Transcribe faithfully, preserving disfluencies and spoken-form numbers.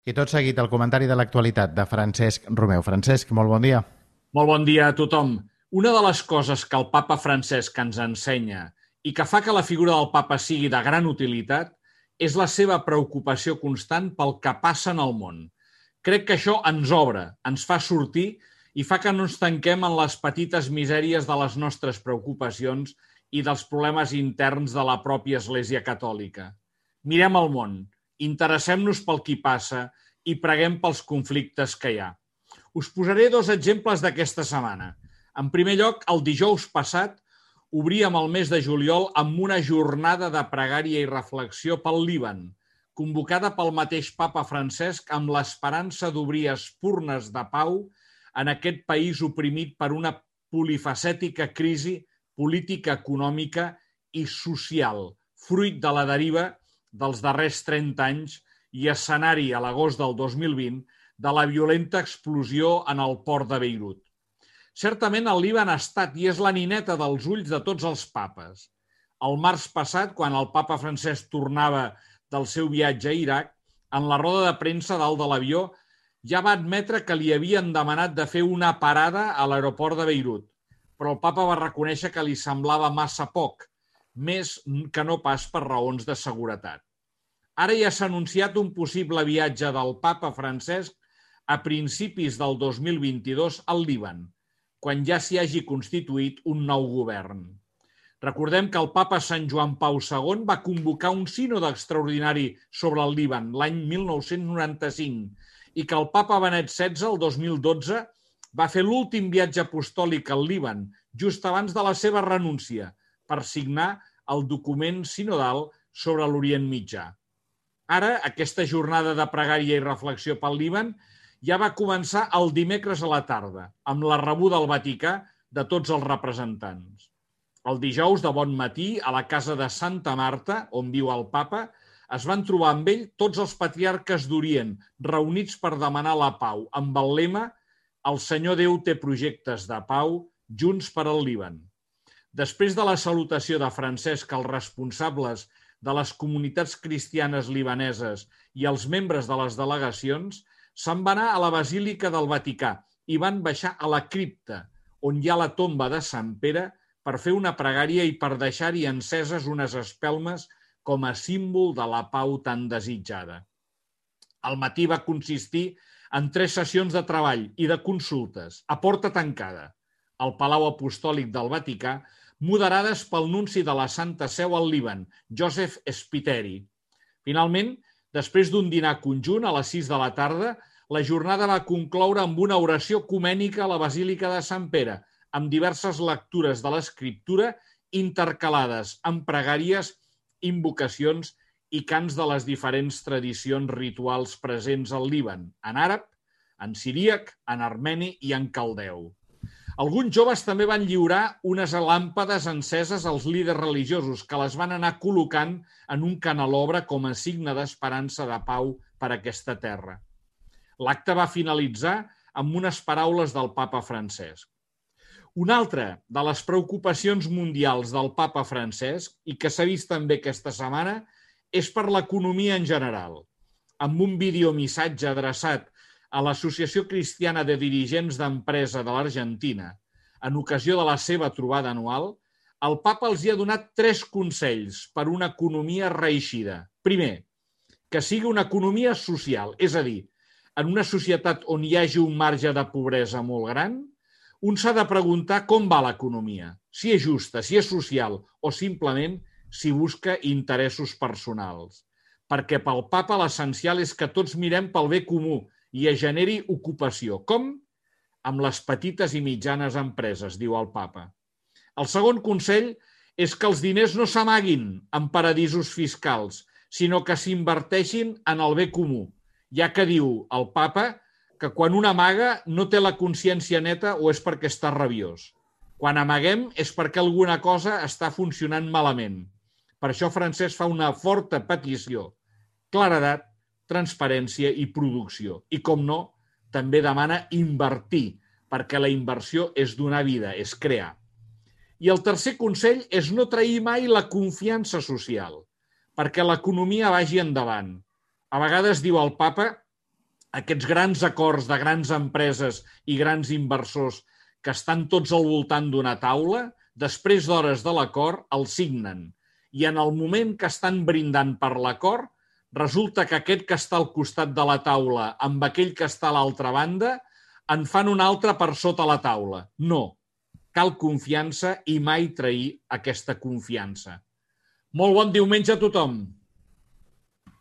I tot seguit el comentari de l'actualitat de Francesc Romeu. Francesc, molt bon dia. Molt bon dia a tothom. Una de les coses que el papa Francesc ens ensenya i que fa que la figura del papa sigui de gran utilitat és la seva preocupació constant pel que passa en el món. Crec que això ens obre, ens fa sortir i fa que no ens tanquem en les petites misèries de les nostres preocupacions i dels problemes interns de la pròpia Església Catòlica. Mirem el món, interessem-nos pel qui passa i preguem pels conflictes que hi ha. Us posaré dos exemples d'aquesta setmana. En primer lloc, el dijous passat obríem el mes de juliol amb una jornada de pregària i reflexió pel Líban, convocada pel mateix papa Francesc amb l'esperança d'obrir espurnes de pau en aquest país oprimit per una polifacètica crisi política, econòmica i social, fruit de la deriva dels darrers trenta anys i escenari a l'agost del dos mil vint de la violenta explosió en el port de Beirut. Certament el Líban ha estat i és la nineta dels ulls de tots els papes. El març passat, quan el papa Francesc tornava del seu viatge a Iraq, en la roda de premsa dalt de l'avió ja va admetre que li havien demanat de fer una parada a l'aeroport de Beirut, però el papa va reconèixer que li semblava massa poc, més que no pas per raons de seguretat. Ara ja s'ha anunciat un possible viatge del papa Francesc a principis del dos mil vint-i-dos al Líban, quan ja s'hi hagi constituït un nou govern. Recordem que el papa Sant Joan Pau segon va convocar un sínode extraordinari sobre el Líban l'any mil nou-cents noranta-cinc i que el papa Benet setze, el dos mil dotze, va fer l'últim viatge apostòlic al Líban just abans de la seva renúncia per signar el document sinodal sobre l'Orient Mitjà. Ara, aquesta jornada de pregària i reflexió pel Líban ja va començar el dimecres a la tarda, amb la rebuda al Vaticà de tots els representants. El dijous de bon matí, a la casa de Santa Marta, on viu el papa, es van trobar amb ell tots els patriarques d'Orient, reunits per demanar la pau, amb el lema «El Senyor Déu té projectes de pau, junts per al Líban». Després de la salutació de Francesc als responsables de les comunitats cristianes libaneses i els membres de les delegacions, se'n va anar a la Basílica del Vaticà i van baixar a la cripta, on hi ha la tomba de Sant Pere, per fer una pregària i per deixar-hi enceses unes espelmes com a símbol de la pau tan desitjada. El matí va consistir en tres sessions de treball i de consultes, a porta tancada, al Palau Apostòlic del Vaticà, moderades pel nunci de la Santa Seu al Líban, Joseph Spiteri. Finalment, després d'un dinar conjunt a les sis de la tarda, la jornada va concloure amb una oració ecumènica a la Basílica de Sant Pere, amb diverses lectures de l'Escriptura intercalades amb pregàries, invocacions i cants de les diferents tradicions rituals presents al Líban, en àrab, en siríac, en armeni i en caldeu. Alguns joves també van lliurar unes làmpades enceses als líders religiosos que les van anar col·locant en un canelobre com a signe d'esperança de pau per a aquesta terra. L'acte va finalitzar amb unes paraules del papa Francesc. Una altra de les preocupacions mundials del papa Francesc, i que s'ha vist també aquesta setmana, és per l'economia en general. Amb un videomissatge adreçat a l'Associació Cristiana de Dirigents d'Empresa de l'Argentina, en ocasió de la seva trobada anual, el papa els hi ha donat tres consells per una economia reeixida. Primer, que sigui una economia social, és a dir, en una societat on hi hagi un marge de pobresa molt gran, un s'ha de preguntar com va l'economia, si és justa, si és social o simplement si busca interessos personals. Perquè pel papa l'essencial és que tots mirem pel bé comú i es generi ocupació. Com? Amb les petites i mitjanes empreses, diu el papa. El segon consell és que els diners no s'amaguin en paradisos fiscals, sinó que s'inverteixin en el bé comú, ja que diu el papa que quan un amaga no té la consciència neta o és perquè està rabiós. Quan amaguem és perquè alguna cosa està funcionant malament. Per això Francesc fa una forta petició, claredat, transparència i producció. I, com no, també demana invertir, perquè la inversió és donar vida, és crear. I el tercer consell és no trair mai la confiança social, perquè l'economia vagi endavant. A vegades, diu el papa, aquests grans acords de grans empreses i grans inversors que estan tots al voltant d'una taula, després d'hores de l'acord, el signen. I en el moment que estan brindant per l'acord, resulta que aquest que està al costat de la taula amb aquell que està a l'altra banda en fan un altre per sota la taula. No. Cal confiança i mai trair aquesta confiança. Molt bon diumenge a tothom!